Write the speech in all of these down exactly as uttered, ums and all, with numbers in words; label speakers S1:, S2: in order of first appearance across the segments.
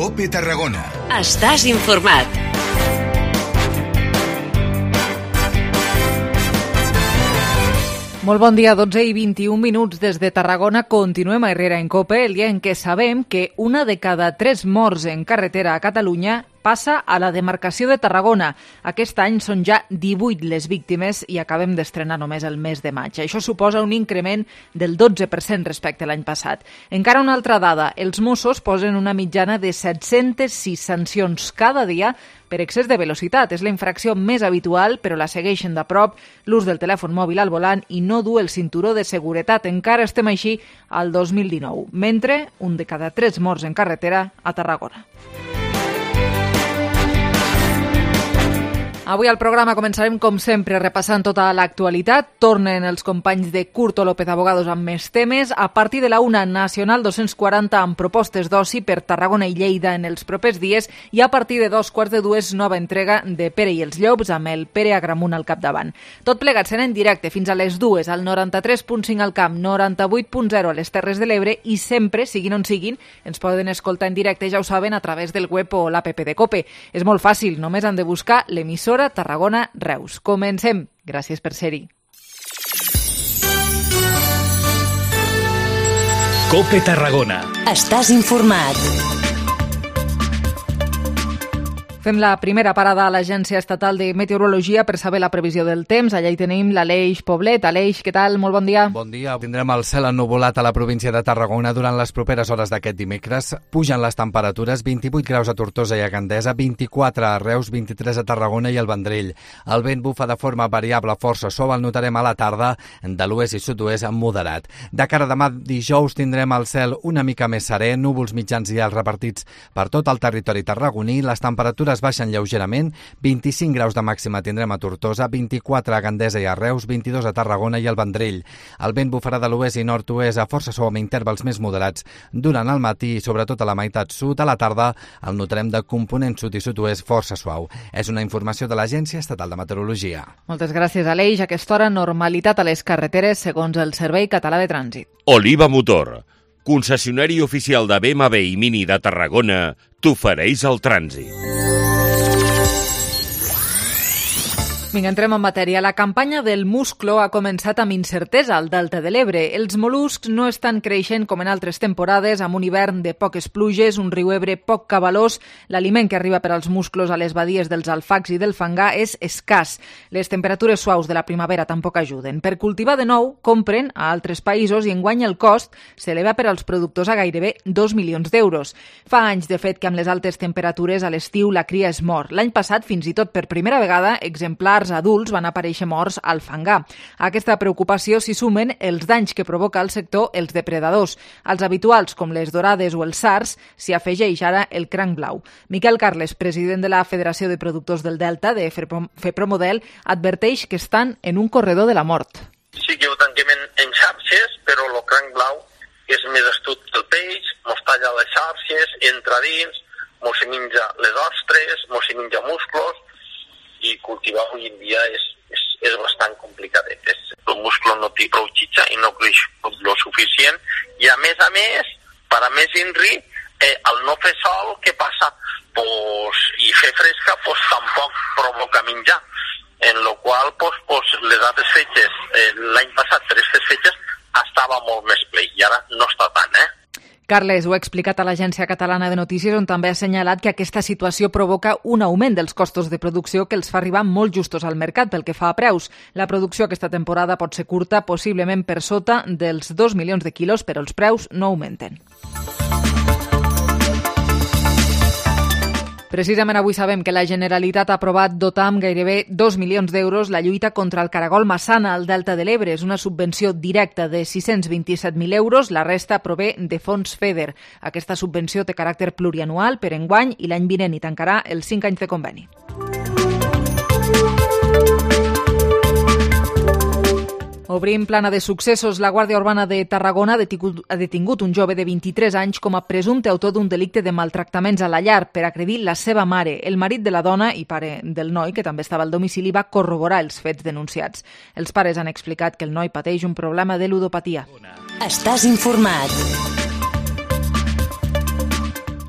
S1: COPE Tarragona.
S2: Estàs informat.
S3: Molt bon dia, dotze i vint-i-un minuts des de Tarragona. Continuem a Herrera en COPE, el dia en què sabem que una de cada tres morts en carretera a Catalunya passa a la demarcació de Tarragona. Aquest any són ja divuit les víctimes i acabem d'estrenar només el mes de maig. Això suposa un increment del dotze per cent respecte a l'any passat. Encara una altra dada, els Mossos posen una mitjana de set-centes sis sancions cada dia per excés de velocitat. És la infracció més habitual, però la segueixen de prop l'ús del telèfon mòbil al volant i no dur el cinturó de seguretat. Encara estem així al dos mil dinou, mentre un de cada tres morts en carretera a Tarragona. Avui al programa començarem, com sempre, repassant tota l'actualitat. Tornen els companys de Curto López Abogados amb més temes. A partir de la una, Nacional dos-cents quaranta amb propostes d'oci per Tarragona i Lleida en els propers dies, i a partir de dos quarts de dues, nova entrega de Pere i els Llops amb el Pere Agramunt al capdavant. Tot plegat sent en directe fins a les dues al noranta-tres punt cinc al Camp, noranta-vuit punt zero a les Terres de l'Ebre, i sempre, siguin on siguin, ens poden escoltar en directe, ja ho saben, a través del web o l'app de COPE. És molt fàcil, només han de buscar l'emissora Tarragona Reus. Comencem. Gràcies per ser-hi.
S4: COPE Tarragona.
S2: Estàs informat.
S3: Fem la primera parada a l'Agència Estatal de Meteorologia per saber la previsió del temps. Allà hi tenim l'Aleix Poblet. Aleix, què tal? Molt bon dia.
S5: Bon dia. Tindrem el cel ennuvolat a la província de Tarragona durant les properes hores d'aquest dimecres. Pugen les temperatures, vint-i-vuit graus a Tortosa i a Gandesa, vint-i-quatre a Reus, vint-i-tres a Tarragona i al Vendrell. El vent bufa de forma variable, força suau, el notarem a la tarda, de l'oest i sud-oest moderat. De cara a demà dijous tindrem el cel una mica més serè, núvols mitjans i alts repartits per tot el territori tarragoní. Les temperatures es baixen lleugerament, vint-i-cinc graus de màxima tindrem a Tortosa, vint-i-quatre a Gandesa i a Reus, vint-i-dos a Tarragona i al Vendrell. El vent bufarà de l'oest i nord-oest a força suau amb intervals més moderats durant el matí i sobretot a la meitat sud. A la tarda el notarem de component sud i sud-oest força suau. És una informació de l'Agència Estatal de Meteorologia.
S3: Moltes gràcies, Aleix. A aquesta hora, normalitat a les carreteres segons el Servei Català de Trànsit.
S6: Oliva Motor, concessionari oficial de B M W i Mini de Tarragona, t'ofereix el trànsit.
S3: Vinga, entrem en matèria. La campanya del musclo ha començat amb incertesa al Delta de l'Ebre. Els mol·luscs no estan creixent com en altres temporades, amb un hivern de poques pluges, un riu Ebre poc cabalós. L'aliment que arriba per als musclos a les badies dels alfacs i del fangar és escàs. Les temperatures suaus de la primavera tampoc ajuden. Per cultivar de nou, compren a altres països i enguany el cost s'eleva per als productors a gairebé dos milions d'euros. Fa anys, de fet, que amb les altes temperatures a l'estiu la cria es mor. L'any passat, fins i tot per primera vegada, exemplars adults van aparèixer morts al fangar. A aquesta preocupació s'hi sumen els danys que provoca al sector els depredadors. Als habituals, com les dorades o els sards, s'hi afegeix ara el cranc blau. Miquel Carles, president de la Federació de Productors del Delta, de FEPROMODEL, adverteix que estan en un corredor de la mort.
S7: Sí que ho tanquem en, en xarxes, però el cranc blau és més astut que el peix, mos talla les xarxes, entra dins, mos se menja les ostres, mos se menja musclos, i cultivar avui en dia és, és, és bastant complicat. El musclo no té prou xitxa i no creix lo suficient, i a més a més, per a més inri, eh, al no fer sol, què passa? Pues, i fer fresca pues, tampoc provoca menjar, en lo qual pues, pues, les altres fetges, eh, l'any passat per aquestes fetges estava molt més ple, i ara no està tant, eh?
S3: Carles ho ha explicat a l'Agència Catalana de Notícies, on també ha assenyalat que aquesta situació provoca un augment dels costos de producció que els fa arribar molt justos al mercat pel que fa a preus. La producció aquesta temporada pot ser curta, possiblement per sota dels dos milions de quilos, però els preus no augmenten. Precisament avui sabem que la Generalitat ha aprovat dotar amb gairebé dos milions d'euros la lluita contra el caragol massana al Delta de l'Ebre. És una subvenció directa de sis-cents vint-i-set mil euros, la resta prové de fons FEDER. Aquesta subvenció té caràcter plurianual per enguany i l'any vinent i tancarà els cinc anys de conveni. Obrim plana de successos. La Guàrdia Urbana de Tarragona ha detingut, ha detingut un jove de vint-i-tres anys com a presumpte autor d'un delicte de maltractaments a la llar per agredir la seva mare. El marit de la dona i pare del noi, que també estava al domicili, va corroborar els fets denunciats. Els pares han explicat que el noi pateix un problema de ludopatia.
S2: Estàs informat.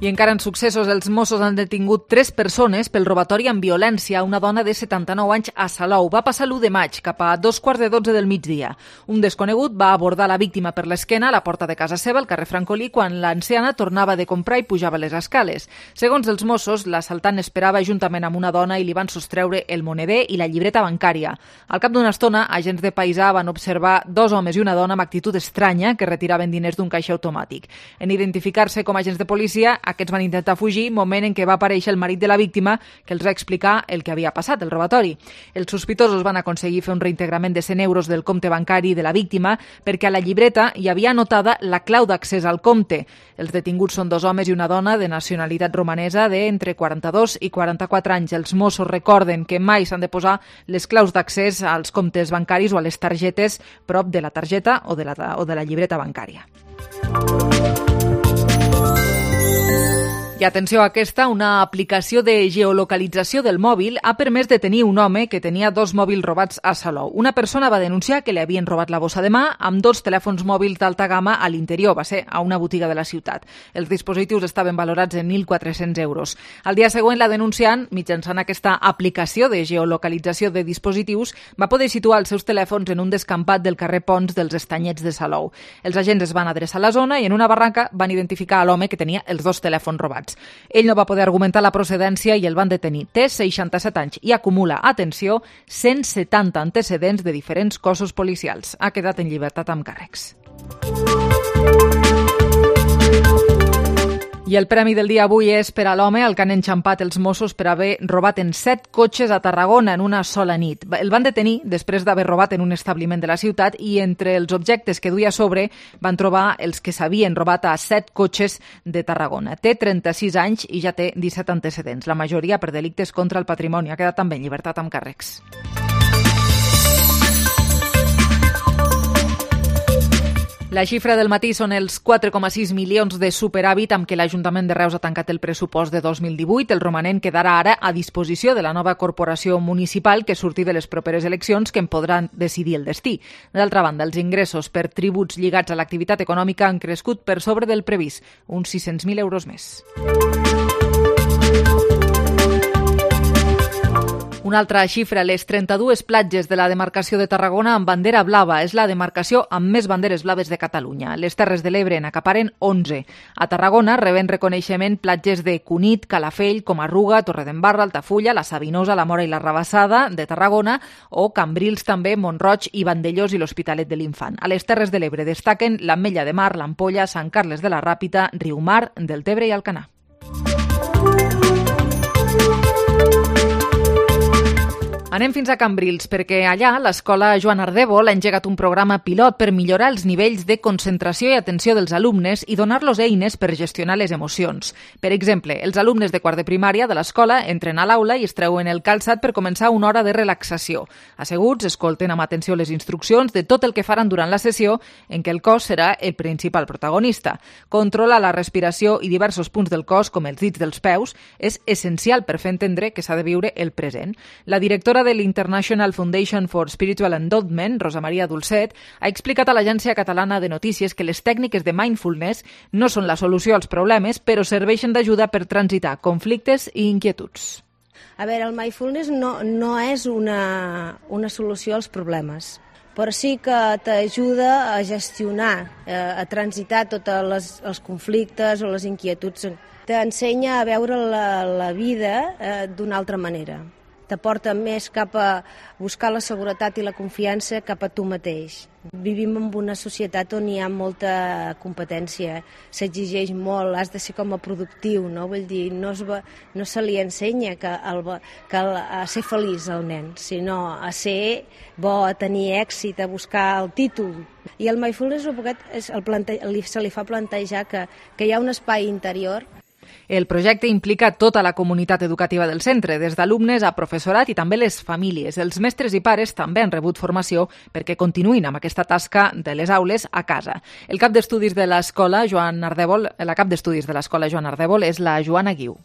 S3: I encara en successos, els Mossos han detingut tres persones pel robatori amb violència a una dona de setanta-nou anys a Salou. Va passar l'u de maig, cap a dos quarts de dotze del migdia. Un desconegut va abordar la víctima per l'esquena a la porta de casa seva, al carrer Francolí, quan l'anciana tornava de comprar i pujava les escales. Segons els Mossos, l'assaltant esperava juntament amb una dona i li van sostreure el moneder i la llibreta bancària. Al cap d'una estona, agents de paisà van observar dos homes i una dona amb actitud estranya que retiraven diners d'un caixer automàtic. En identificar-se com agents de policia, aquests van intentar fugir, moment en què va aparèixer el marit de la víctima, que els va explicar el que havia passat, el robatori. Els sospitosos van aconseguir fer un reintegrament de cent euros del compte bancari de la víctima perquè a la llibreta hi havia anotada la clau d'accés al compte. Els detinguts són dos homes i una dona de nacionalitat romanesa d'entre quaranta-dos i quaranta-quatre anys. Els Mossos recorden que mai s'han de posar les claus d'accés als comptes bancaris o a les targetes prop de la targeta o de la, o de la llibreta bancària. I atenció a aquesta, una aplicació de geolocalització del mòbil ha permès detenir un home que tenia dos mòbils robats a Salou. Una persona va denunciar que li havien robat la bossa de mà amb dos telèfons mòbils d'alta gamma a l'interior, va ser a una botiga de la ciutat. Els dispositius estaven valorats en mil quatre-cents euros. Al dia següent, la denunciant, mitjançant aquesta aplicació de geolocalització de dispositius, va poder situar els seus telèfons en un descampat del carrer Pons dels Estanyets de Salou. Els agents es van adreçar a la zona i en una barraca van identificar l'home que tenia els dos telèfons robats. Ell no va poder argumentar la procedència i el van detenir. Té seixanta-set anys i acumula, atenció, cent setanta antecedents de diferents cossos policials. Ha quedat en llibertat amb càrrecs. I el premi del dia avui és per a l'home al que han enxampat els Mossos per haver robat en set cotxes a Tarragona en una sola nit. El van detenir després d'haver robat en un establiment de la ciutat i entre els objectes que duia a sobre van trobar els que s'havien robat a set cotxes de Tarragona. Té trenta-sis anys i ja té disset antecedents, la majoria per delictes contra el patrimoni. Ha quedat també en llibertat amb càrrecs. La xifra del matí són els quatre coma sis milions de superàvit amb què l'Ajuntament de Reus ha tancat el pressupost de dos mil divuit. El romanent quedarà ara a disposició de la nova corporació municipal que surti de les properes eleccions que en podran decidir el destí. D'altra banda, els ingressos per tributs lligats a l'activitat econòmica han crescut per sobre del previst, uns sis-cents mil euros més. Una altra xifra, les trenta-dues platges de la demarcació de Tarragona amb bandera blava. És la demarcació amb més banderes blaves de Catalunya. Les Terres de l'Ebre n'acaparen onze. A Tarragona reben reconeixement platges de Cunit, Calafell, Comarruga, Torredembarra, Altafulla, la Sabinosa, la Mora i la Rabassada de Tarragona o Cambrils també, Montroig i Vandellós i l'Hospitalet de l'Infant. A les Terres de l'Ebre destaquen l'Ametlla de Mar, l'Ampolla, Sant Carles de la Ràpita, Riumar, Deltebre i Alcanar. Anem fins a Cambrils, perquè allà l'escola Joan Ardèvol ha engegat un programa pilot per millorar els nivells de concentració i atenció dels alumnes i donar-los eines per gestionar les emocions. Per exemple, els alumnes de quart de primària de l'escola entren a l'aula i es treuen el calçat per començar una hora de relaxació. Asseguts, escolten amb atenció les instruccions de tot el que faran durant la sessió, en què el cos serà el principal protagonista. Controlar la respiració i diversos punts del cos, com els dits dels peus, és essencial per fer entendre que s'ha de viure el present. La directora de l'International Foundation for Spiritual Endowment, Rosa Maria Dulcet, ha explicat a l'Agència Catalana de Notícies que les tècniques de mindfulness no són la solució als problemes, però serveixen d'ajuda per transitar conflictes i inquietuds.
S1: A veure, el mindfulness no, no és una, una solució als problemes, però sí que t'ajuda a gestionar, a transitar tots els conflictes o les inquietuds. T'ensenya a veure la, la vida eh, d'una altra manera. T'aporta més cap a buscar la seguretat i la confiança cap a tu mateix. Vivim en una societat on hi ha molta competència, s'exigeix molt, has de ser com a productiu, no? Vull dir, no, es va, no se li ensenya que, el, que el, a ser feliç al nen, sinó a ser bo, a tenir èxit, a buscar el títol. I el mindfulness és el plante, se li fa plantejar que, que hi ha un espai interior.
S3: El projecte implica tota la comunitat educativa del centre, des d'alumnes a professorat i també les famílies. Els mestres i pares també han rebut formació perquè continuïn amb aquesta tasca de les aules a casa. El cap d'estudis de l'escola Joan Ardèvol, la cap d'estudis de l'escola Joan Ardèvol és la Joana Guiu.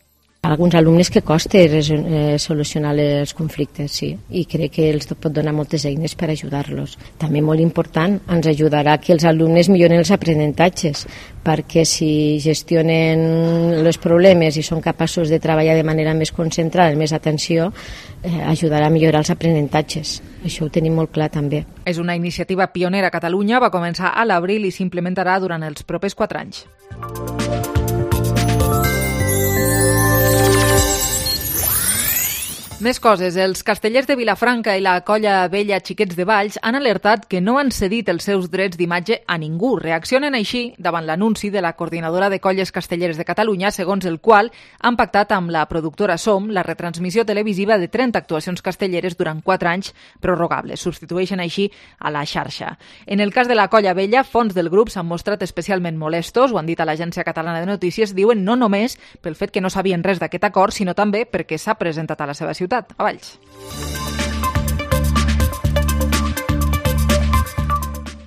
S1: A alguns alumnes que costa eh, solucionar els conflictes, sí, i crec que els pot donar moltes eines per ajudar-los. També molt important, ens ajudarà que els alumnes milloren els aprenentatges, perquè si gestionen els problemes i són capaços de treballar de manera més concentrada, amb més atenció, eh, ajudarà a millorar els aprenentatges. Això ho tenim molt clar també.
S3: És una iniciativa pionera a Catalunya, va començar a l'abril i s'implementarà durant els propers quatre anys. Més coses. Els castellers de Vilafranca i la colla vella Xiquets de Valls han alertat que no han cedit els seus drets d'imatge a ningú. Reaccionen així davant l'anunci de la Coordinadora de Colles Castelleres de Catalunya, segons el qual han pactat amb la productora Som la retransmissió televisiva de trenta actuacions castelleres durant quatre anys prorrogables. Substitueixen així a la xarxa. En el cas de la colla vella, fons del grup s'han mostrat especialment molestos, ho han dit a l'Agència Catalana de Notícies, diuen no només pel fet que no sabien res d'aquest acord, sinó també perquè s'ha presentat a la seva ciutat, a Valls.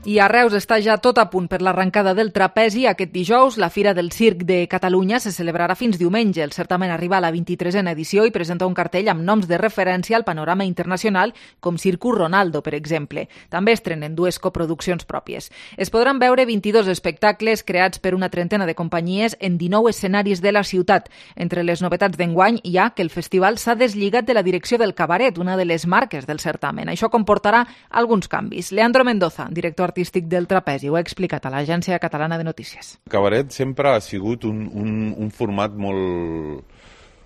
S3: I a Reus està ja tot a punt per l'arrencada del trapezi. Aquest dijous, la Fira del Circ de Catalunya se celebrarà fins diumenge. El certamen arriba a la vint-i-tresena edició i presenta un cartell amb noms de referència al panorama internacional, com Circus Ronaldo, per exemple. També estrenen dues coproduccions pròpies. Es podran veure vint-i-dos espectacles creats per una trentena de companyies en dinou escenaris de la ciutat. Entre les novetats d'enguany hi ha que el festival s'ha deslligat de la direcció del cabaret, una de les marques del certamen. Això comportarà alguns canvis. Leandro Mendoza, director artístic artístic del trapezi, ho ha explicat a l'Agència Catalana de Notícies.
S8: El cabaret sempre ha sigut un, un, un format molt,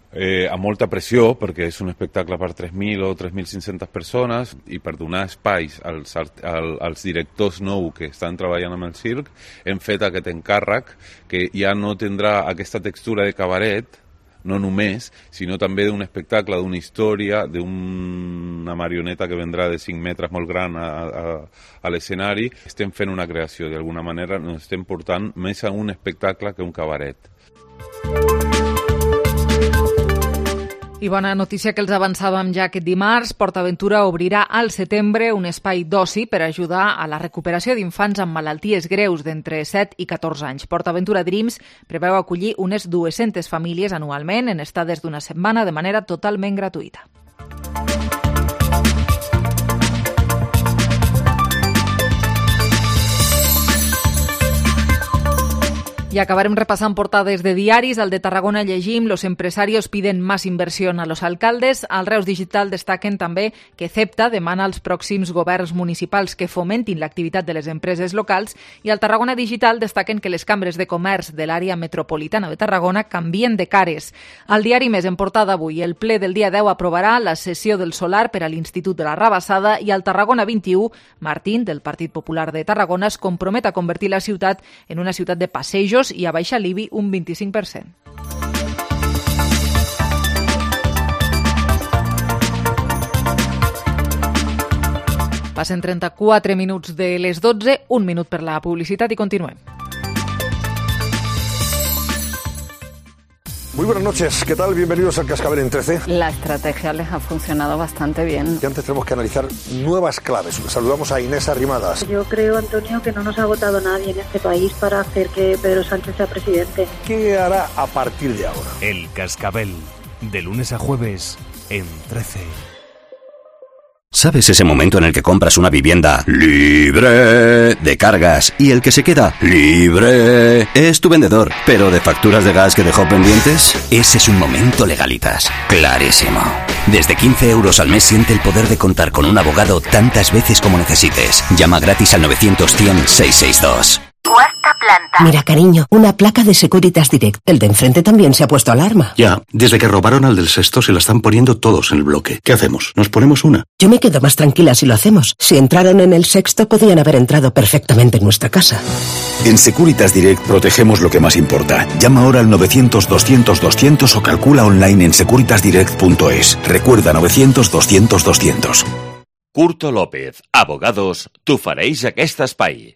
S8: eh, amb molta pressió, perquè és un espectacle per tres mil o tres mil cinc-centes persones, i per donar espais als, als directors nous que estan treballant amb el circ, hem fet aquest encàrrec que ja no tindrà aquesta textura de cabaret, no només, sinó també d'un espectacle, d'una història, d'una marioneta que vendrà de cinc metres molt gran a, a, a l'escenari. Estem fent una creació, d'alguna manera ens estem portant més a un espectacle que un cabaret.
S3: I bona notícia que els avançàvem ja aquest dimarts. PortAventura obrirà al setembre un espai d'oci per ajudar a la recuperació d'infants amb malalties greus d'entre set i catorze anys. PortAventura Dreams preveu acollir unes dues-centes famílies anualment en estades d'una setmana de manera totalment gratuïta. Y acabarem repassant portades de diaris. Al de Tarragona llegim: los empresarios piden más inversión a los alcaldes. Al Reus Digital destaquen també que CEPTA demana als pròxims governs municipals que fomentin l'activitat de les empreses locals. I al Tarragona Digital destaquen que les cambres de comerç de l'àrea metropolitana de Tarragona canvien de cares. Al diari Més, en portada avui, el ple del dia deu aprovarà la cessió del solar per a l'Institut de la Rabassada. I al Tarragona vint-i-u, Martín, del Partit Popular de Tarragona, es compromet a convertir la ciutat en una ciutat de passejos i a baixar l'I B I un vint-i-cinc per cent. Passen trenta-quatre minuts de les dotze, un minut per la publicitat i continuem.
S9: Muy buenas noches, ¿qué tal? Bienvenidos al Cascabel en trece.
S10: La estrategia les ha funcionado bastante bien.
S9: Y antes tenemos que analizar nuevas claves. Saludamos a Inés Arrimadas.
S11: Yo creo, Antonio, que no nos ha votado nadie en este país para hacer que Pedro Sánchez sea presidente.
S9: ¿Qué hará a partir de ahora?
S4: El Cascabel, de lunes a jueves, en trece.
S12: ¿Sabes ese momento en el que compras una vivienda libre de cargas y el que se queda libre es tu vendedor, pero de facturas de gas que dejó pendientes? Ese es un momento Legalitas. Clarísimo. Desde quince euros al mes siente el poder de contar con un abogado tantas veces como necesites. Llama gratis al novecientos cien seiscientos sesenta y dos.
S13: Cuarta planta. Mira, cariño, una placa de Securitas Direct. El de enfrente también se ha puesto alarma.
S14: Ya, desde que robaron al del sexto se la están poniendo todos en el bloque. ¿Qué hacemos? ¿Nos ponemos una?
S13: Yo me quedo más tranquila si lo hacemos. Si entraron en el sexto, podían haber entrado perfectamente en nuestra casa.
S15: En Securitas Direct protegemos lo que más importa. Llama ahora al novecientos doscientos doscientos o calcula online en securitas direct punto es. Recuerda novecientos doscientos doscientos.
S6: Curto López, abogados, t'ofereix aquest espai.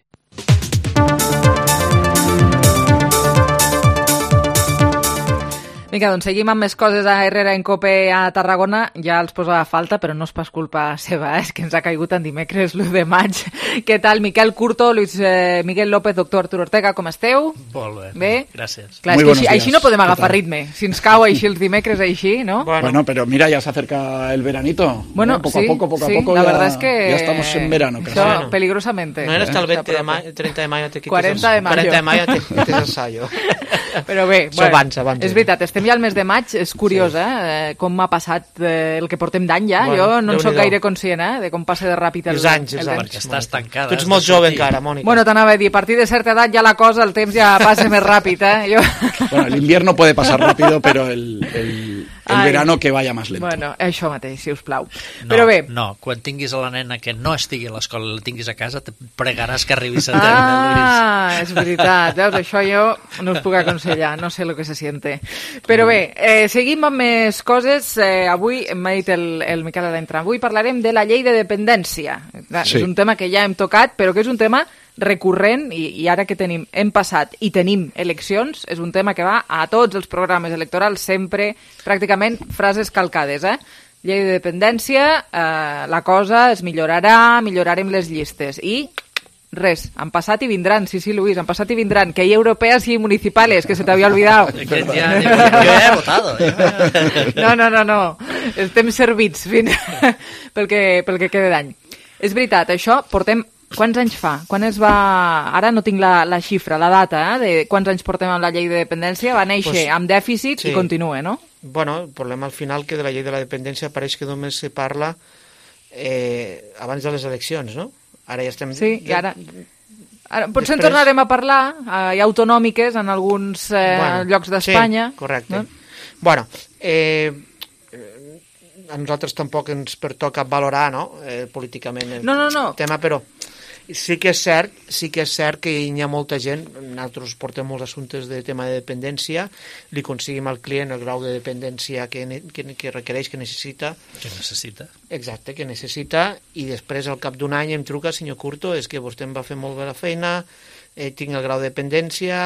S3: Vinga, doncs seguim amb més coses a Herrera en Cope a Tarragona. Ja els posava falta, però no és pas culpa seva, eh? És que ens ha caigut en dimecres l'u de maig. Què tal, Miquel Curto, Luis eh, Miguel López, doctor Arturo Ortega, com esteu?
S16: Molt bé,
S3: bé?
S16: gràcies.
S3: Clar, és que així, així no podem agafar ritme. Si ens cau així els dimecres, així, ¿no?
S17: Bueno, bueno pero mira, ya se acerca el veranito.
S3: Bueno,
S17: ¿no? Poco
S3: sí,
S17: a poco, poco
S3: sí,
S17: a poco,
S3: la
S17: ya,
S3: verdad es que...
S17: ya estamos en verano.
S3: Eso, bueno, peligrosamente.
S16: No era hasta el veinte de mayo, treinta de mayo te quites
S3: cuarenta de mayo.
S16: cuarenta de mayo te quites el sallo.
S3: Però bé, bueno,
S16: abans, abans,
S3: és veritat, estem ja al mes de maig, és curiós, sí. eh? Com m'ha passat eh, el que portem d'any ja, bueno, jo no en soc gaire conscient, eh? De com passa de ràpid el,
S16: els anys,
S3: el
S16: els
S3: temps.
S16: Perquè estàs tancada.
S3: Tu
S16: ets molt jove encara, Mònica.
S3: Bueno, t'anava a dir, a partir de certa edat ja la cosa, el temps ja passa més ràpid, eh? Jo...
S17: Bueno, el invierno puede pasar rápido, pero el, el, el verano que vaya más lento.
S3: Bueno, això mateix, si us plau.
S16: No,
S3: Però bé...
S16: No, quan tinguis a la nena que no estigui a l'escola i la tinguis a casa, te pregaràs que arribi a terme,
S3: Ah, és veritat, veus, això jo no us puc aconsellar, no sé el que se siente. Però bé, eh, seguim amb més coses. Eh, avui, m'ha dit el, el Miquel a l'entrada, avui parlarem de la llei de dependència. Sí. És un tema que ja hem tocat, però que és un tema recurrent i, i ara que tenim, hem passat i tenim eleccions, és un tema que va a tots els programes electorals, sempre, pràcticament, frases calcades, eh? Llei de dependència, eh, la cosa es millorarà, millorarem les llistes. I res, han passat i vindran, sí, sí, Luis, han passat i vindran, que hi europeas y municipales, que se te había olvidado.
S16: Que ja, jo, jo he votado.
S3: No, no, no, no, estem servits fins pel que, pel que queda d'any. És veritat, això portem... Quants anys fa? Quan es va... Ara no tinc la, la xifra, la data, eh, de quants anys portem amb la llei de dependència. Va néixer pues, amb dèficit sí. I continua, no?
S16: Bueno, el problema al final que de la llei de la dependència pareix que només se parla eh, abans de les eleccions, no? Ara ja estem...
S3: Sí, i ara... ara potser Després... en tornarem a parlar, eh, hi ha autonòmiques en alguns eh, bueno, llocs d'Espanya.
S16: Sí, correcte. No? Bueno, eh... a nosaltres tampoc ens pertoca valorar, no?, eh, políticament el
S3: no, no, no.
S16: tema, però sí que és cert, sí que és cert que hi ha molta gent, nosaltres portem molts assumptes de tema de dependència, li aconseguim al client el grau de dependència que, que, que requereix, que necessita.
S18: Que necessita.
S16: Exacte, que necessita, i després al cap d'un any em truca, senyor Curto, és que vostè em va fer molt bé la feina, eh, tinc el grau de dependència,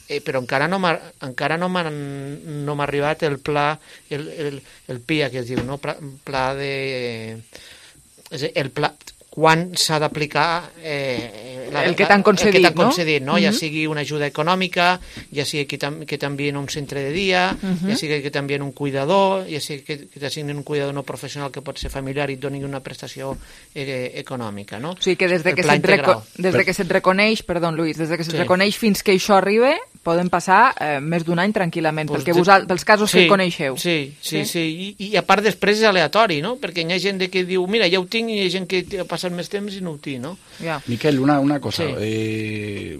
S16: eh, però encara no m'ha encara no m'ha no m'ha arribat el pla, el, el, el P I A, que es diu, no? Pla, pla de... el pla... quan s'ha d'aplicar eh,
S3: la, el que t'han concedit,
S16: el que t'han concedit,
S3: no?
S16: no? Ja sigui una ajuda econòmica, ja sigui que, tam que t'envien un centre de dia, uh -huh. ja sigui que t'envien un cuidador, ja sigui que, que t'assignen un cuidador no professional que pot ser familiar i et donin una prestació eh, econòmica, no?
S3: O sigui que des de que se't reco des de que se't reconeix, perdó, Luis, des de que se't sí. reconeix fins que això arriba, poden passar eh, més d'un any tranquil·lament, pues perquè de... vosaltres, pels casos sí, que coneixeu.
S16: Sí, sí, sí, sí. I, i a part després és aleatori, no? Perquè hi ha gent que diu, mira, ja ho tinc, i hi ha gent que passa més temps i no ho tinc, no?
S3: Yeah.
S17: Miquel, una, una cosa,
S16: sí.
S17: eh,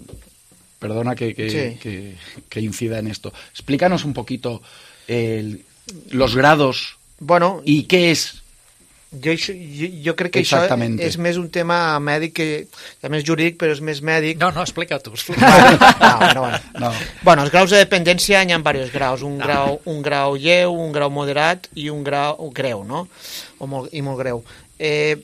S17: perdona que, que,
S16: sí.
S17: que, que incida en esto. Explícanos un poquito el, los grados
S16: bueno,
S17: y qué es.
S16: Jo, jo, jo crec que això és més un tema mèdic, que també és jurídic, però és més mèdic.
S18: No, no, explica tu.
S16: Bueno, no, bueno, bueno.
S17: No.
S16: Bueno, els graus de dependència hi ha diversos graus. Un, no. grau, un grau lleu, un grau moderat i un grau greu, no? O molt, i molt greu. Eh,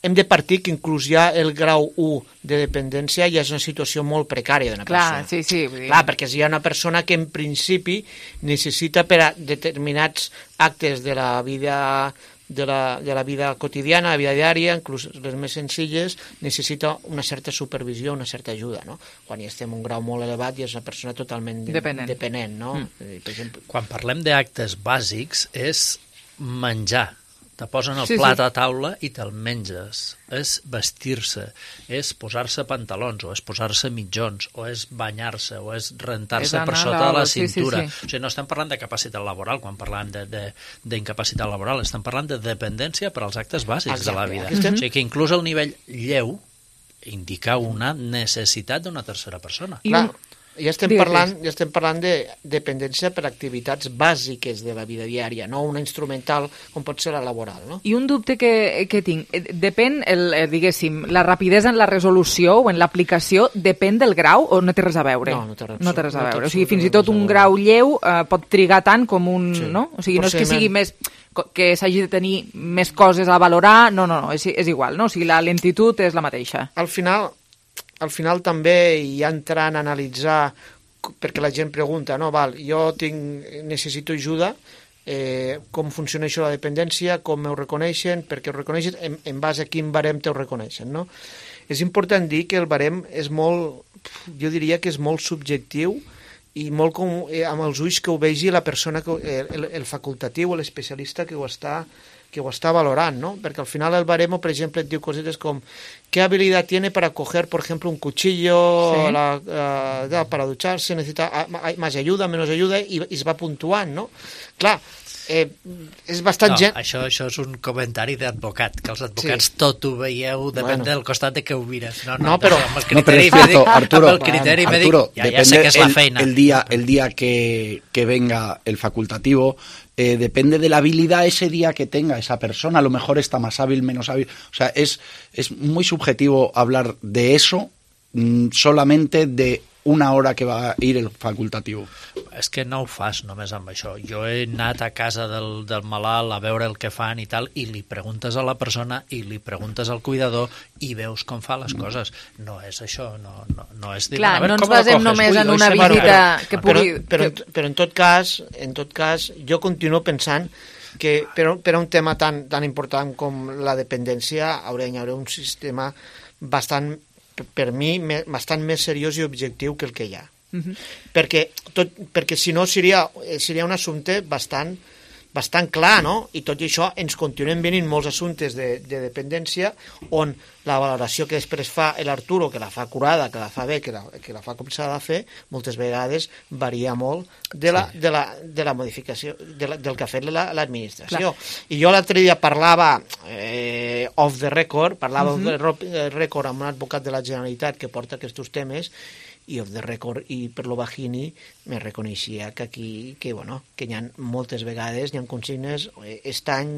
S16: hem de partir que inclús ja el grau u de dependència ja és una situació molt precària d'una persona.
S3: Clar, sí, sí. Vull dir...
S16: Clar, perquè si hi ha una persona que en principi necessita per a determinats actes de la vida... De la, de la vida quotidiana, la vida diària, inclús les més senzilles, necessita una certa supervisió, una certa ajuda, no? Quan ja estem en un grau molt elevat ja és una persona totalment
S3: dependent,
S16: dependent no?
S18: Mm. Per exemple... Quan parlem d'actes bàsics és menjar. Te posen el
S3: sí,
S18: plat
S3: sí.
S18: a taula i te'l menges. És vestir-se, és posar-se pantalons, o és posar-se mitjons, o és banyar-se, o és rentar-se per sota de la cintura. Sí, sí, sí. O sigui, no estem parlant de capacitat laboral quan parlem d'incapacitat laboral, estem parlant de dependència per als actes bàsics Exacte. De la vida. Estem... O sigui que inclús el nivell lleu indica una necessitat d'una tercera persona.
S16: I Clar. Ja estem, parlant, ja estem parlant de dependència per activitats bàsiques de la vida diària, no una instrumental com pot ser la laboral. No?
S3: I un dubte que, que tinc, depèn, el, diguéssim, la rapidesa en la resolució o en l'aplicació depèn del grau o no té res a veure?
S16: No, no té res,
S3: no té res a
S16: no
S3: veure. O sigui, fins i tot un grau lleu eh, pot trigar tant com un...
S16: Sí.
S3: No? O sigui, no és que sigui més... que s'hagi de tenir més coses a valorar, no, no, no, és, és igual, no? O sigui, la lentitud és la mateixa.
S16: Al final... Al final també hi ha entrant a analitzar perquè la gent pregunta, no, val, jo tinc, necessito ajuda, eh, com funciona això la dependència, com ho reconeixen, perquè ho reconeixen, en, en base a quin barem te ho reconeixen, no? És important dir que el barem és molt, jo diria que és molt subjectiu i molt com, eh, amb els ulls que ho vegi la persona, que, el, el facultatiu o l'especialista que ho està que ho està valorant, ¿no? Perquè al final el baremo, per exemple, et diu cosetes com ¿qué habilidad tiene para coger, por ejemplo, un cuchillo sí. la, uh, para ducharse? ¿Necesita más ayuda, menos ayuda? I, i es va puntuant, no? Clar, eh, és bastant
S18: no,
S16: gent...
S18: Això, això és un comentari d'advocat, que els advocats sí. tot ho veieu, depèn bueno. del costat de què ho mires. No, no,
S16: no però...
S18: Amb el criteri
S17: no, cierto,
S18: mèdic,
S17: Arturo,
S18: amb el criteri mèdic,
S17: Arturo,
S18: ja, ja sé que és la feina.
S17: El, el día, el día que, que venga el facultativo, Eh, depende de la habilidad ese día que tenga esa persona, a lo mejor está más hábil, menos hábil, o sea, es, es muy subjetivo hablar de eso mmm, solamente de una hora que va a ir el facultativo.
S18: És que no ho fas només amb això. Jo he anat a casa del, del malalt a veure el que fan i tal, i li preguntes a la persona i li preguntes al cuidador i veus com fa les coses. No és això, no, no, no és dir...
S3: Clar,
S18: veure,
S3: no ens basem només Ui, en una visita
S16: però,
S3: que pugui...
S16: Però, però, però en tot cas, en tot cas, jo continuo pensant que per, per un tema tan, tan important com la dependència hauria d'haver un sistema bastant, per mi, bastant més seriós i objectiu que el que hi ha. Uh-huh. perquè, tot, perquè si no seria, seria un assumpte bastant, bastant clar, no? I tot i això ens continuen venint molts assumptes de, de dependència on la valoració que després fa l'Arturo, que la fa curada, que la fa bé, que la, que la fa com s'ha de fer, moltes vegades varia molt de la, sí. de la, de la modificació, de la, del que ha fet l'administració. Clar. I jo l'altre dia parlava eh, off the record, parlava uh-huh. off the record amb un advocat de la Generalitat que porta aquests temes, i off the record i per lo bajini me reconeixia que aquí, que bueno, que hi ha moltes vegades, hi ha consignes aquest any,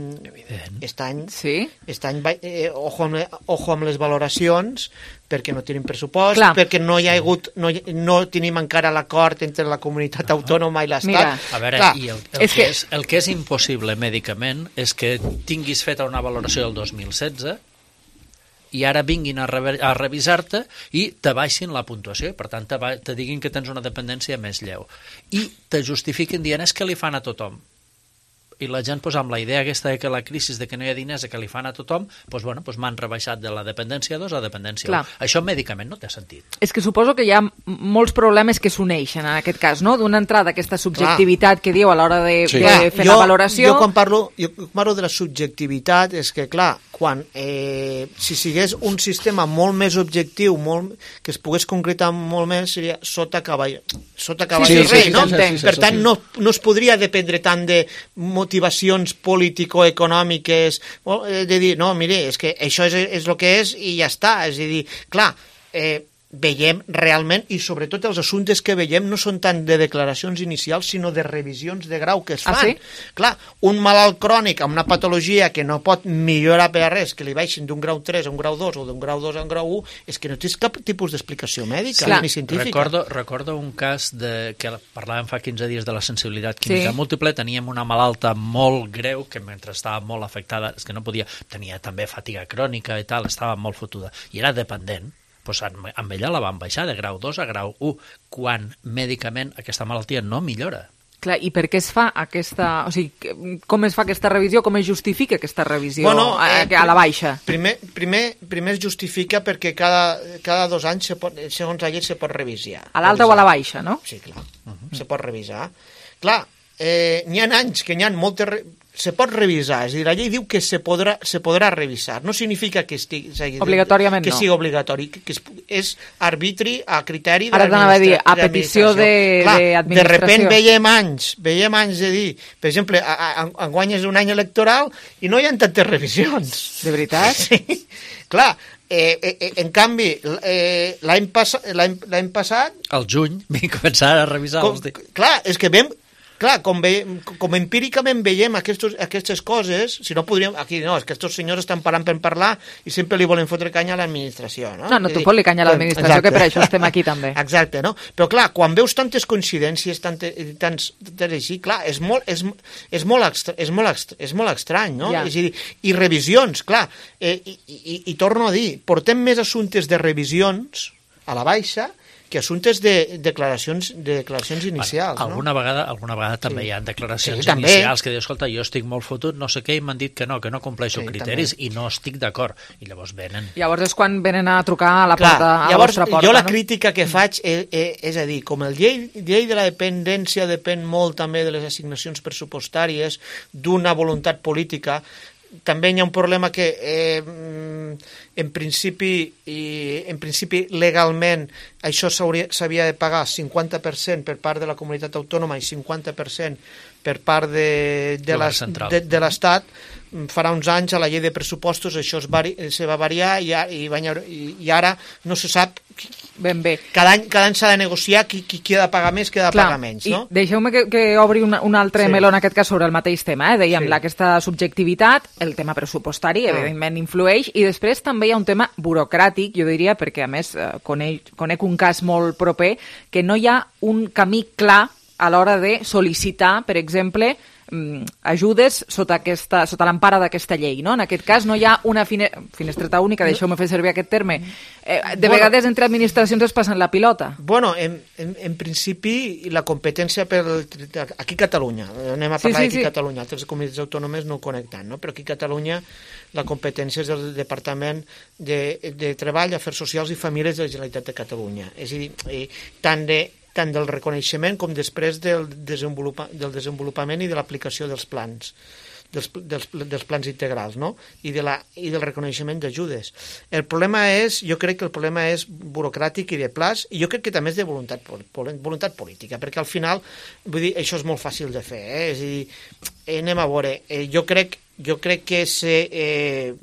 S16: aquest any,
S3: sí?
S16: aquest any eh, ojo, amb, ojo amb les valoracions perquè no tenim pressupost, Clar. perquè no hi ha hagut, no, no tenim encara l'acord entre la comunitat autònoma i l'Estat.
S18: Mira, a veure, Clar. i el, el, és que, que és, el que és impossible mèdicament és que tinguis feta una valoració del dos mil setze i ara vinguin a, re a revisar-te i te baixin la puntuació, per tant te, te diguin que tens una dependència més lleu. I te justifiquen dient és que li fan a tothom. I la gent, doncs, amb la idea aquesta de que la crisi de que no hi ha diners que li fan a tothom, doncs, bueno, doncs m'han rebaixat de la dependència dos a dependència un. Això mèdicament no té sentit.
S3: És que suposo que hi ha molts problemes que s'uneixen en aquest cas, no? D'una entrada aquesta subjectivitat clar. que diu a l'hora de, sí. de clar, fer jo, la valoració...
S16: Jo quan parlo, jo parlo de la subjectivitat és que, clar, quan eh, si sigués un sistema molt més objectiu, molt, que es pogués concretar molt més, seria sota cavall, sota cavall sí, sí, rei, sí, no? Sí, sí, sí, per tant, sí. no, no es podria dependre tant de motivacions político-econòmiques, de dir, no, mire, és que això és, és el que és i ja està, és a dir, clar, eh, veiem realment, i sobretot els assumptes que veiem no són tant de declaracions inicials, sinó de revisions de grau que es fan. Ah, sí? Clar, un malalt crònic amb una patologia que no pot millorar per a res, que li baixin d'un grau tres a un grau dos o d'un grau dos a un grau u, és que no tens cap tipus d'explicació mèdica sí. ni científica.
S18: Recordo, recordo un cas de, que parlàvem fa quinze dies de la sensibilitat química sí. múltiple, teníem una malalta molt greu que mentre estava molt afectada, és que no podia, tenia també fatiga crònica i tal, estava molt fotuda, i era dependent. Pues amb ella la van baixar de grau dos a grau u, quan mèdicament aquesta malaltia no millora.
S3: Clar, i per què es fa aquesta... O sigui, com es fa aquesta revisió? Com es justifica aquesta revisió bueno, eh, a, a la baixa?
S16: Primer, primer, primer es justifica perquè cada, cada dos anys, se pot, segons la llei, se pot revisar.
S3: A l'alta o a la baixa, no?
S16: Sí, clar, uh-huh. se pot revisar. Clar, eh, n'hi ha anys que n'hi ha moltes... Re... se pot revisar, és a dir, la llei diu que se podrà, se podrà revisar, no significa que estigui...
S3: Obligatòriament
S16: que
S3: no.
S16: Que sigui obligatori, que, que és arbitri a criteri de
S3: Ara t'anava a dir, a petició d'administració.
S16: De repent veiem anys, veiem anys de dir, per exemple, enguany és un any electoral i no hi ha tantes revisions.
S3: De veritat?
S16: Sí, clar. Eh, eh, en canvi, eh, l'any passa, passat...
S18: Al juny vam començar a revisar.
S16: Com, clar, és que vam... Clar, com, ve, com empíricament veiem aquestos, aquestes coses, si no podríem... Aquí no, és que aquests senyors estan parlant per parlar i sempre li volen fotre canya a l'administració, no?
S3: No, no, tu fot-li canya a l'administració, exacte. Que per això estem aquí també.
S16: Exacte, no? Però clar, quan veus tantes coincidències, tantes, tants, tants així, clar, és molt, és, és molt, extra, és molt, extra, és molt estrany, no? Ja. És a dir, i revisions, clar, eh, i, i, i torno a dir, portem més assumptes de revisions a la baixa que assumptes de declaracions, de declaracions inicials.
S18: Bueno, alguna,
S16: no?
S18: vegada, alguna vegada també sí. hi ha declaracions
S16: sí,
S18: inicials que dius, escolta, jo estic molt fotut, no sé què, i m'han dit que no, que no compleixo sí, criteris també. I no estic d'acord. I llavors venen.
S3: Llavors és quan venen a trucar a la
S16: Clar,
S3: porta, a
S16: llavors,
S3: la vostra porta.
S16: Jo la
S3: no?
S16: crítica que faig és, és, és a dir, com el llei, llei de la dependència depèn molt també de les assignacions pressupostàries, d'una voluntat política, també hi ha un problema que eh, en principi i, en principi legalment això s'havia de pagar cinquanta per cent per part de la comunitat autònoma i cinquanta per cent per part de, de, les, de, de l'Estat. Farà uns anys a la llei de pressupostos això es, vari, se va variar i, i, i, i ara no se sap
S3: ben bé.
S16: Cada any, cada any s'ha de negociar qui, qui, qui ha de pagar més, qui ha de Clar, pagar menys. No?
S3: Deixeu-me que, que obri una, un altre sí. meló en aquest cas sobre el mateix tema. Eh? Dèiem, sí. aquesta subjectivitat, el tema pressupostari, ah. evidentment, influeix, i després també hi ha un tema burocràtic, jo diria, perquè a més eh, conec, conec un cas molt proper, que no hi ha un camí clar a l'hora de sol·licitar, per exemple, ajudes sota, aquesta, sota l'empara d'aquesta llei. No? En aquest cas no hi ha una fine... finestreta única, deixeu-me fer servir aquest terme. Eh, de bueno, vegades entre administracions es passen la pilota.
S16: Bueno, en, en, en principi la competència per aquí a Catalunya, anem a parlar sí, sí, d'aquí a sí. Catalunya, altres comunitats autònomes no ho connecten, no? Però aquí a Catalunya la competència és del Departament de, de Treball, Afers Socials i Famílies de la Generalitat de Catalunya. És a dir, tant de tant del reconeixement com després del, desenvolupa, del desenvolupament i de l'aplicació dels plans, dels, dels, dels plans integrals, no? I, de la, i del reconeixement d'ajudes. El problema és, jo crec que el problema és burocràtic i de plaç, i jo crec que també és de voluntat, voluntat política, perquè al final, vull dir, això és molt fàcil de fer, eh? És a dir, anem a veure, eh, jo crec jo crec que s'allarga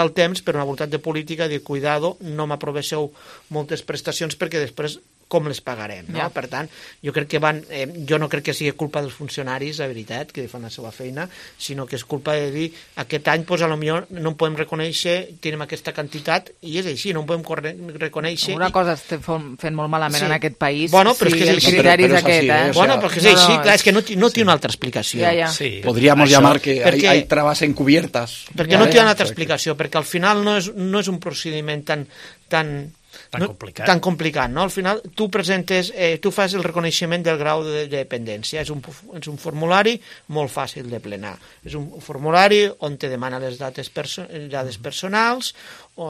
S16: eh, el temps per una voluntat de política de cuidado, no m'aprovesseu moltes prestacions perquè després com les pagarem, no? Ja. Per tant, jo crec que van, eh, jo no crec que sigui culpa dels funcionaris, la veritat, que fan la seva feina, sinó que és culpa de dir, aquest any, doncs, potser no en podem reconèixer, tenim aquesta quantitat, i és així, no en podem reconèixer.
S3: Una cosa estem fent molt malament sí. en aquest país,
S16: bueno, però
S3: sí,
S16: és que
S3: el criteri és aquest,
S16: eh?
S3: eh?
S16: Bueno, però és no, així, clar, és que no, no té una altra explicació.
S3: Ja, ja.
S17: Sí. Podríamos Això, llamar que perquè, hay, hay trabas encubiertas.
S16: Perquè ja, no té una altra explicació, perquè al final no és, no és un procediment tan... tan
S18: Tan complicat.
S16: No, tan complicat, no? Al final tu presentes, eh, tu fas el reconeixement del grau de, de dependència. És un, és un formulari molt fàcil de plenar. És un formulari on te demana les dates, perso dades personals, o,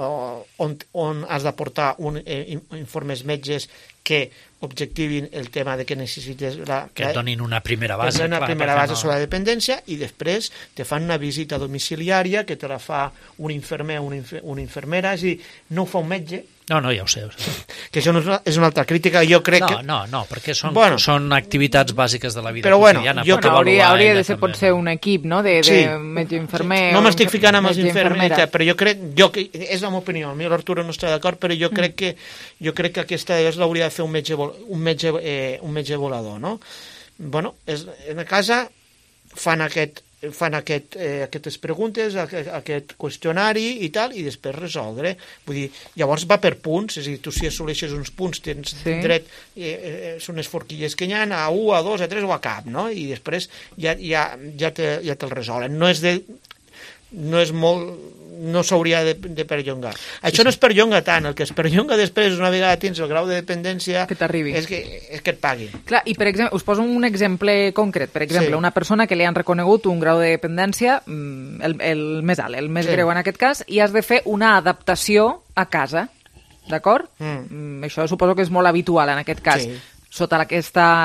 S16: on, on has d'aportar un, eh, informes metges que objectivin el tema de que necessites... La,
S18: que et donin una primera base.
S16: Una
S18: clar,
S16: primera base
S18: no...
S16: sobre la dependència i després te fan una visita domiciliària que te la fa un infermer o una, infer una infermera, és a dir, no ho fa un metge.
S18: No, no, ja ho sé. Ho sé.
S16: Que això no és una, és una altra crítica, jo crec
S18: no,
S16: que...
S18: No, no, perquè són,
S16: bueno,
S18: són activitats bàsiques de la vida
S16: però bueno,
S18: quotidiana.
S16: Jo
S3: que hauria, hauria de ser
S18: també.
S3: Potser un equip, no?, de,
S16: sí.
S3: de metge-infermer...
S16: No m'estic ficant amb els infermers, però jo crec... Jo, és la meva opinió, a mi l'Arturo no està d'acord, però jo crec que jo crec que aquesta és l'hauria de fer un metge, un metge, eh, un metge volador, no? Bueno, és, en la casa fan aquest... fan aquest, eh, aquestes preguntes, aquest, aquest qüestionari i tal, i després resoldre. Vull dir, llavors va per punts, és a dir, tu si assoleixes uns punts tens sí. dret, eh, eh, són les forquilles que hi ha, a u, a dos, a tres o a cap, no? I després ja, ja, ja, te, ja te'l resolen. No és de... no és molt... no s'hauria de, de perllongar. Això sí, no és perllonga tant, el que es perllonga després, una vegada tens el grau de dependència,
S3: que t'arribi.
S16: És que, és que et paguin.
S3: Clar, i per exemple, us poso un exemple concret. Per exemple, sí. una persona que li han reconegut un grau de dependència, el, el més alt, el més sí. greu en aquest cas, i has de fer una adaptació a casa, d'acord? Mm. Això suposo que és molt habitual en aquest cas. Sí. Sota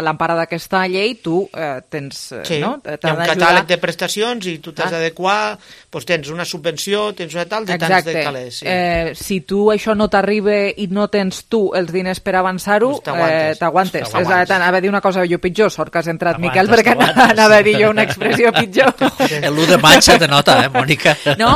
S3: l'empara d'aquesta llei tu eh, tens...
S16: Sí,
S3: no?
S16: hi ha un catàleg de prestacions i tu t'has ah. d'adequar, doncs tens una subvenció, tens una tal, de
S3: Exacte.
S16: tants de calés. Sí.
S3: Eh, si tu això no t'arriba i no tens tu els diners per avançar-ho, t'aguantes. Eh, és anava a dir una cosa jo pitjor, sort que has entrat, Miquel, perquè anava a dir jo una expressió pitjor.
S18: L'u de maig se te nota, eh, Mònica?
S3: No,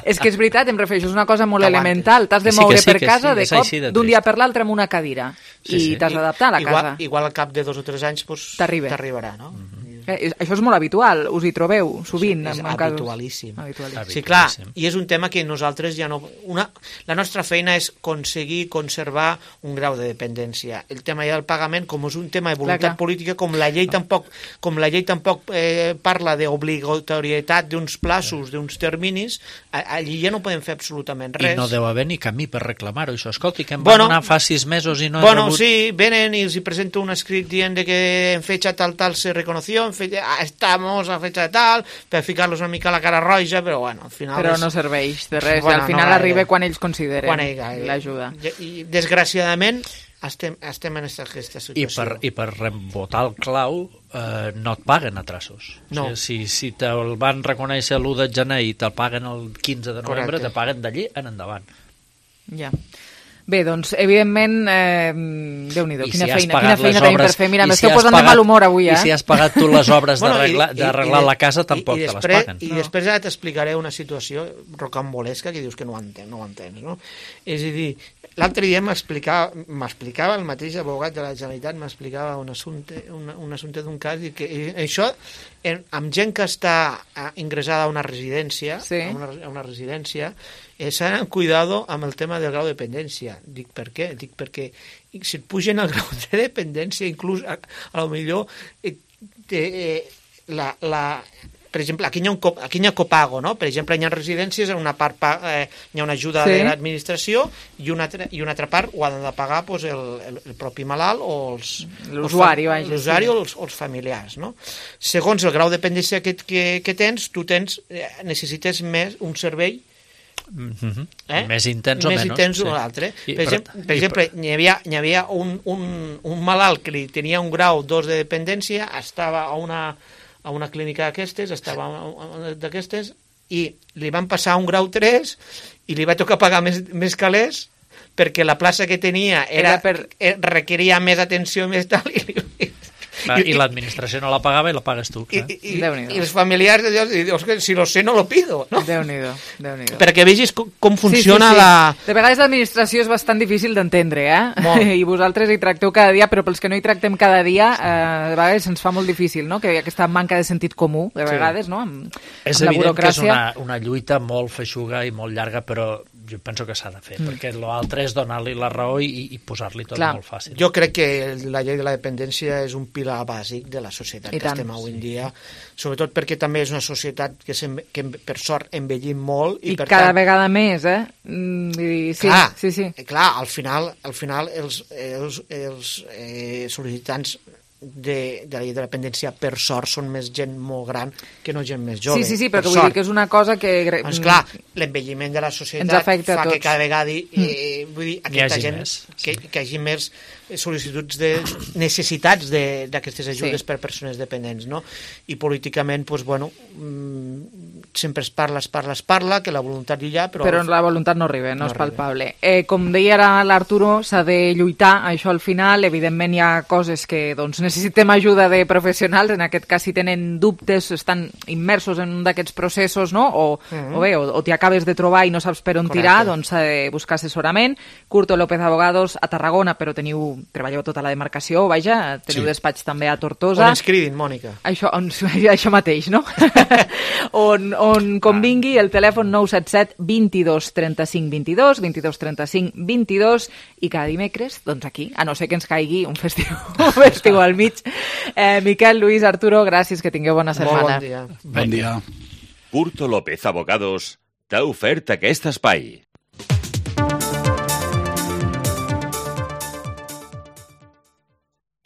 S3: és que és veritat, em refereixo, és una cosa molt elemental. T'has de moure sí, sí, per casa sí, de cop d'un dia per l'altre amb una cadira sí, i sí. t'has d'adaptar a la
S16: igual,
S3: casa.
S16: Igual al cap de dos o tres anys pues, t'arribarà, no?
S18: Mm-hmm.
S3: Eh, això és molt habitual, us hi trobeu sovint?
S16: Sí, és
S3: en
S16: habitualíssim.
S3: Habitualíssim.
S16: Sí, clar, i és un tema que nosaltres ja no... Una, la nostra feina és aconseguir conservar un grau de dependència. El tema ja del pagament, com és un tema de voluntat
S3: clar, clar.
S16: política, com la llei tampoc, com la llei tampoc eh, parla d'obligatorietat d'uns plaços, d'uns terminis, allí ja no podem fer absolutament res.
S18: I no deu haver ni camí per reclamar-ho, això. Escolti, que em
S16: bueno,
S18: van donar fa sis mesos i no he
S16: bueno,
S18: rebut...
S16: Bueno, sí, venen i els hi presento un escrit dient de que en fecha tal tal se reconoció, en fecha, ah, estamos a fecha de tal, per ficar-los una mica a la cara roja, però bueno, al final...
S3: Però
S16: és...
S3: no serveix de res,
S16: bueno,
S3: al final
S16: no
S3: arriba quan ells consideren
S16: quan ell,
S3: l'ajuda.
S16: I, I desgraciadament estem, estem en aquesta situació.
S18: I per, i per rebotar el clau eh, no et paguen a traços.
S16: No.
S18: O sigui, si, si te'l van reconèixer l'u de gener i te'l paguen el quinze de novembre,
S16: Correcte.
S18: te paguen d'allí en endavant.
S3: Ja. Bé, doncs, evidentment, eh, Déu-n'hi-do, quina
S18: si
S3: feina, quina feina tenim per fer. Mira, m'esteu
S18: si
S3: posant
S18: pagat,
S3: de mal humor avui, eh?
S18: I si has pagat tu les obres
S16: bueno,
S18: d'arreglar la casa, tampoc
S16: i, i
S18: te les
S16: després,
S18: paguen.
S16: I no. després ja t'explicaré una situació rocambolesca que dius que no ho entens, no ho entens, no? És a dir, l'altre dia m'explicava m'explicava el mateix abogat de la Generalitat, m'explicava un assumpte, un, un assumpte d'un cas, i que i això, en, amb gent que està ingressada a una residència,
S3: sí.
S16: a, una, a una residència, eh, s'han cuidado amb el tema del grau de dependència. Dic, per què? Dic, perquè si et pugen el grau de dependència, inclús a, a lo millor eh, eh, la, la, per exemple, aquí hi ha, un, aquí hi ha copago, no? Per exemple, hi ha residències, en una part eh, hi ha una ajuda sí. de l'administració i una, i una altra part ho han de pagar pues, el, el, el propi malalt o els...
S3: L'usuari, vaja.
S16: L'usuari sí. o, els, o els familiars, no? Segons el grau de dependència que, que, que tens, tu tens, eh, necessites més un servei
S18: Mm-hmm. eh? més intens o
S16: més
S18: menys
S16: intens
S18: sí.
S16: o l'altre. Per,
S18: per,
S16: exemple, per exemple per... hi havia, hi havia un, un, un malalt que li tenia un grau dos de dependència, estava a una, a una clínica d'aquestes, estava a una d'aquestes, i li van passar un grau tres i li va tocar pagar més, més calés perquè la plaça que tenia era, era per... requeria més atenció, més tal, i li...
S18: I, i l'administració no la pagava i la pagues tu.
S16: I, i, i els familiars de Dios, Dios, si lo sé no lo pido, no?
S3: Déu-n'hi-do, Déu-n'hi-do.
S16: Perquè vegis com, com funciona
S3: sí, sí, sí.
S16: la...
S3: De vegades l'administració és bastant difícil d'entendre, eh? Molt. I vosaltres hi tracteu cada dia, però pels que no hi tractem cada dia, eh, de vegades ens fa molt difícil, no? Que hi ha aquesta manca de sentit comú, de vegades, sí. no? Amb,
S18: és
S3: amb
S18: evident
S3: que és
S18: una, una lluita molt feixuga i molt llarga, però jo penso que s'ha de fer, mm. perquè l'altre és donar-li la raó i, i posar-li tot Clar. molt fàcil.
S16: Jo crec que la llei de la dependència és un pilar bàsic de la societat
S3: I
S16: que
S3: tant.
S16: estem avui en dia, sobretot perquè també és una societat que, que per sort envellim molt i,
S3: I
S16: per
S3: cada
S16: tant,
S3: vegada més, eh? Mm, i, sí,
S16: clar,
S3: sí, sí.
S16: clar, al final, al final els, els, els eh, sol·licitants de, de la llei de la dependència per sort són més gent molt gran que no gent més jove.
S3: Sí, sí, sí, però vull
S16: sort.
S3: dir que és una cosa que...
S16: Doncs clar, l'envelliment de la societat fa que cada vegada eh, vull dir, aquesta gent
S18: més,
S16: que, que hi hagi més sol·licituds de necessitats d'aquestes ajudes sí. per persones dependents, no? I políticament, doncs, bueno, sempre es parla, es parla, es parla, que la voluntat hi ha, però...
S3: Però la voluntat no arriba, no,
S16: no
S3: és palpable. Eh, com deia ara l'Arturo, s'ha de lluitar, això al final, evidentment hi ha coses que doncs, necessitem ajuda de professionals, en aquest cas si tenen dubtes, estan immersos en un d'aquests processos, no? O, mm-hmm. o bé, o, o t'hi acabes de trobar i no saps per on Correcte. tirar, doncs s'ha de buscar assessorament. Curto López Abogados a Tarragona, però teniu treballeu tota la demarcació, vaja, teniu sí. despatx també a Tortosa.
S16: On ens cridin, Mònica.
S3: Això, on, això mateix, no? on, on convingui el telèfon nou set set vint-i-dos trenta-cinc vint-i-dos, vint-i-dos trenta-cinc vint-i-dos, i cada dimecres, doncs aquí, a no ser que ens caigui un festiu, un festiu al mig. Eh, Miquel, Lluís, Arturo, gràcies, que tingueu bona setmana.
S16: Molt bon dia.
S17: Bon dia.
S6: Curto López Abogados t'ha ofert aquest espai.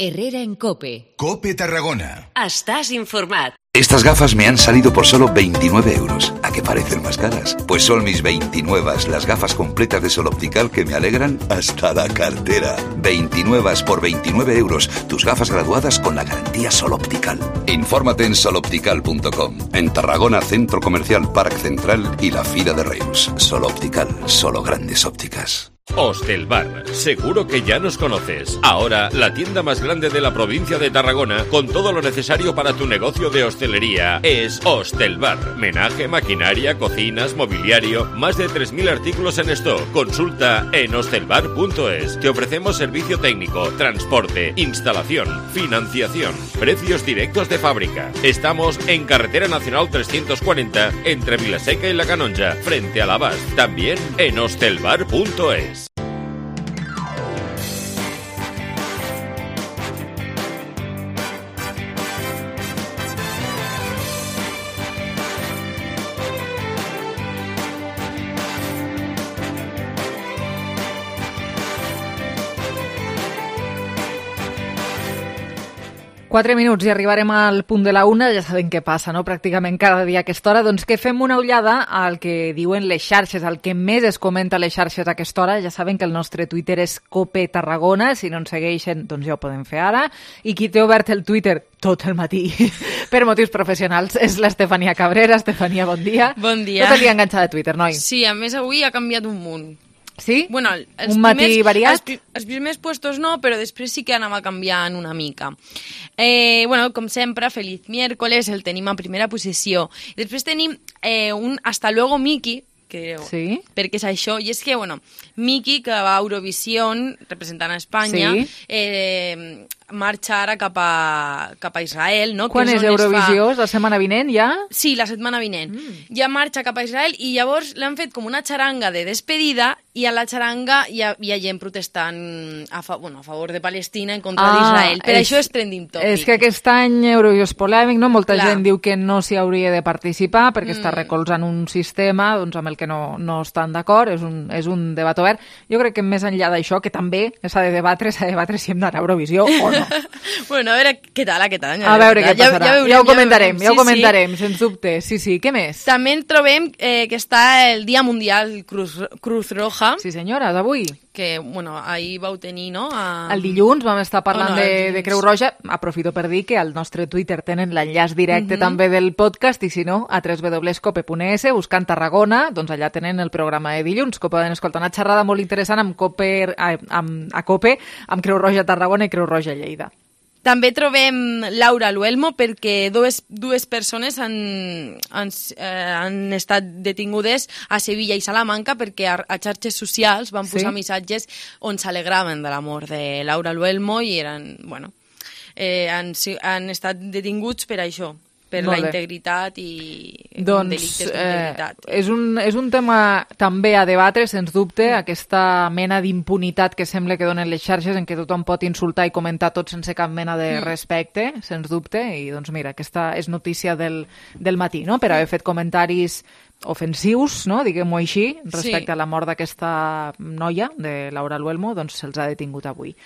S2: Herrera en Cope.
S19: Cope Tarragona.
S2: Estás informat.
S19: Estas gafas me han salido por solo veintinueve euros. ¿A qué parecen más caras? Pues son mis veintinueve, las gafas completas de Sol Optical que me alegran hasta la cartera. veintinueve por veintinueve euros. Tus gafas graduadas con la garantía Sol Optical. Infórmate en sol optical punto com. En Tarragona, Centro Comercial Parc Central y la Fira de Reus. Sol Optical, solo grandes ópticas.
S6: Hostelbar, seguro que ya nos conoces. Ahora, la tienda más grande de la provincia de Tarragona, con todo lo necesario para tu negocio de hostelería, es Hostelbar. Menaje, maquinaria, cocinas, mobiliario, más de tres mil artículos en stock. Consulta en hostelbar punto es. Te ofrecemos servicio técnico, transporte, instalación, financiación, precios directos de fábrica. Estamos en Carretera Nacional trescientos cuarenta, entre Vilaseca y La Canonja, frente a l'Abast. También en hostelbar punto es.
S3: Quatre minuts i arribarem al punt de la una, ja sabem què passa, no? Pràcticament cada dia a aquesta hora. Doncs que fem una ullada al que diuen les xarxes, al que més es comenta a les xarxes a aquesta hora. Ja saben que el nostre Twitter és Cope Tarragona, si no ens segueixen, doncs ja ho podem fer ara. I qui té obert el Twitter tot el matí per motius professionals és l'Estefania Cabrera. Estefania, bon dia.
S20: Bon dia.
S3: Tot el dia enganxada a Twitter, noi?
S20: Sí, a més avui ha canviat un munt.
S3: Sí?
S20: Bueno, els
S3: un matí
S20: primers,
S3: variat?
S20: Els, els primers puestos no, però després sí que anava canviant una mica. Eh, bueno, com sempre, Feliz Miércoles, el tenim a primera posició. I després tenim eh, un Hasta luego, Miki, que,
S3: sí.
S20: perquè és això, i és que, bueno, Miki, que va a Eurovisión, representant a Espanya, sí. eh, marxa ara cap a, cap a Israel, no?
S3: Quan
S20: que
S3: és, és Eurovisió? Fa... És la setmana vinent, ja?
S20: Sí, la setmana vinent. Mm. Ja marxa cap a Israel i llavors l'han fet com una xaranga de despedida i a la xaranga hi ha, hi ha gent protestant a, fa, bueno, a favor de Palestina en contra ah, d'Israel. Per és, això és trending topic.
S3: És que aquest any Eurovisió és polèmic, no? Molta Clar. gent diu que no s'hi hauria de participar perquè mm. està recolzant un sistema doncs, amb el que no, no estan d'acord. És un, és un debat obert. Jo crec que més enllà d'això, que també s'ha de debatre, s'ha de debatre si hem d'anar a Eurovisió o no.
S20: Bueno, a veure què tal aquest any.
S3: A, a veure què passarà. Ja, ja, veurem, ja ho comentarem, ja, ja ho comentarem,
S20: sí.
S3: sens dubte. Sí, sí, què més?
S20: També trobem eh, que està el Dia Mundial Cruz, Cruz Roja.
S3: Sí, senyores, avui.
S20: Que, bueno, ahir vau tenir, no? A...
S3: El dilluns vam estar parlant
S20: oh, no,
S3: de, de Creu Roja. Aprofito per dir que al nostre Twitter tenen l'enllaç directe uh-huh. també del podcast i si no, a w w w punt cope punt es, buscant Tarragona, doncs allà tenen el programa de dilluns, que poden escoltar una xerrada molt interessant amb Cope, amb, a Cope, amb Creu Roja Tarragona i Creu Roja Lleida.
S20: També trobem Laura Luelmo perquè dues, dues persones han, han, eh, han estat detingudes a Sevilla i Salamanca perquè a, a xarxes socials van posar sí? missatges on s'alegraven de la mort de Laura Luelmo i eren, bueno, eh, han, han estat detinguts per això, per la integritat i
S3: doncs,
S20: delictes d'integritat.
S3: Eh, és, un, és un tema també a debatre, sens dubte, mm. aquesta mena d'impunitat que sembla que donen les xarxes en què tothom pot insultar i comentar tot sense cap mena de mm. respecte, sens dubte, i doncs mira, aquesta és notícia del, del matí, no?, per haver fet comentaris ofensius, no?, diguem-ho així, respecte sí. a la mort d'aquesta noia, de Laura Luelmo, doncs se'ls ha detingut avui.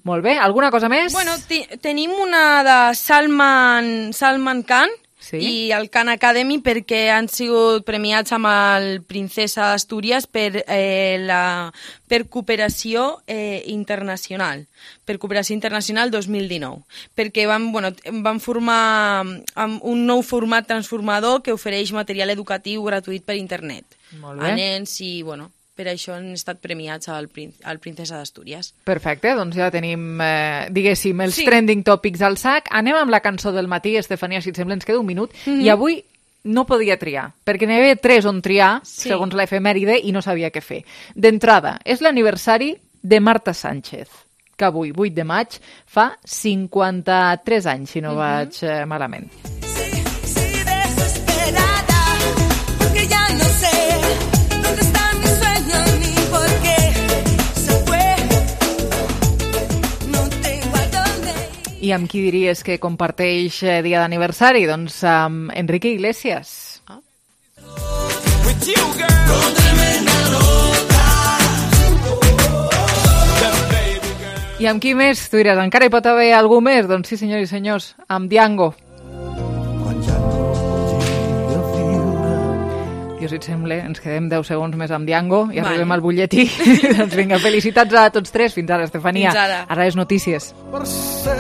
S3: Molt bé, alguna cosa més?
S20: Bueno, tenim una de Salman, Salman Khan sí? i el Khan Academy perquè han sigut premiats amb el Princesa d'Astúries per, eh, la, per cooperació eh, internacional, per cooperació internacional dos mil dinou, perquè van, bueno, van formar un nou format transformador que ofereix material educatiu gratuït per internet
S3: Molt bé.
S20: a nens i, bueno, per això han estat premiats al, al Princesa d'Astúries.
S3: Perfecte, doncs ja tenim, eh, diguéssim, els
S20: sí.
S3: trending topics al sac. Anem amb la cançó del matí, Estefania, si et sembla, ens queda un minut. Mm-hmm. I avui no podia triar, perquè n'hi havia tres on triar, sí. segons l'efemèride, i no sabia què fer. D'entrada, és l'aniversari de Marta Sánchez, que avui, vuit de maig, fa cinquanta-tres anys, si no mm-hmm. vaig eh, malament.
S21: Sí, sí, desesperada, porque ya no sé dónde está mi sueño ni por qué se fue. No tengo a dónde ir.
S3: I amb qui diries que comparteix eh, dia d'aniversari? Doncs amb Enrique Iglesias. Ah.
S21: With you, girl.
S3: I amb qui més? Tu diràs, encara hi pot haver algú més? Doncs sí, senyors i senyors, amb Django. Jo, si et sembla, ens quedem deu segons més amb Django i vale. Arribem al butlletí. Doncs vinga, felicitats a tots tres. Fins ara, Estefania.
S20: Fins ara.
S3: Ara les notícies.
S21: Per ser